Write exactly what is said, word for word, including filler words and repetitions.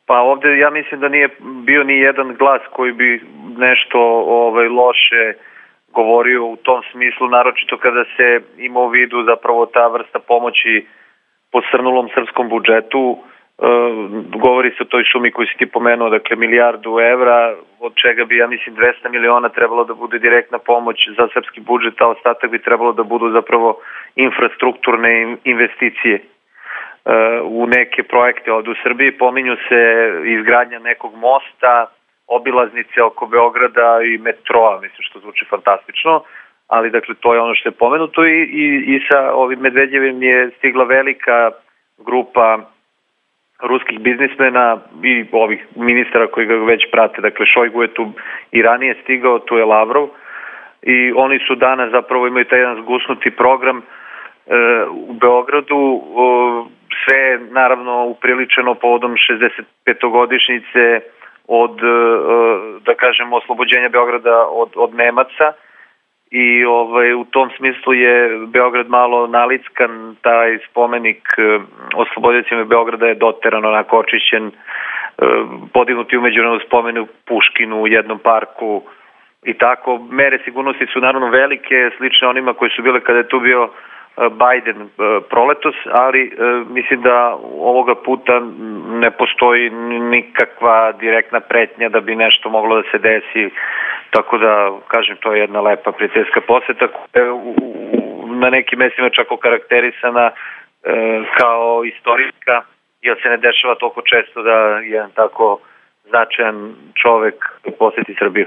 Pa ovde ja mislim da nije bio ni jedan glas koji bi nešto ovaj, loše govorio u tom smislu, naročito kada se ima u vidu zapravo ta vrsta pomoći posrnulom srpskom budžetu. E, govori se o toj sumi koju si ti pomenuo, dakle milijardu evra, od čega bi, ja mislim, dvesta miliona trebalo da bude direktna pomoć za srpski budžet, a ostatak bi trebalo da budu zapravo infrastrukturne investicije u neke projekte ovde u Srbiji. Pominju se izgradnja nekog mosta, obilaznice oko Beograda i metroa, mislim, što zvuči fantastično, ali dakle to je ono što je pomenuto i, i, i sa ovim Medvedjevim je stigla velika grupa ruskih biznismena i ovih ministara koji ga već prate, dakle Šojgu je tu i ranije stigao, tu je Lavrov i oni su danas zapravo imaju taj jedan zgusnuti program e, u Beogradu, e, sve je naravno upriličeno povodom šezdeset petogodišnjice od, da kažemo, oslobođenja Beograda od, od Nemaca i ovaj, u tom smislu je Beograd malo nalickan, taj spomenik osloboditeljima Beograda je doteran, onako očišćen, podignuti umeđu spomenu Puškinu u jednom parku i tako. Mere sigurnosti su naravno velike, slične onima koji su bile kada je tu bio Biden proletos, ali mislim da ovoga puta ne postoji nikakva direktna pretnja da bi nešto moglo da se desi, tako da, kažem, to je jedna lepa prijateljska poseta koja je na nekim mestima čak okarakterisana kao istorijska, jer se ne dešava toliko često da jedan tako značajan čovek poseti Srbiju.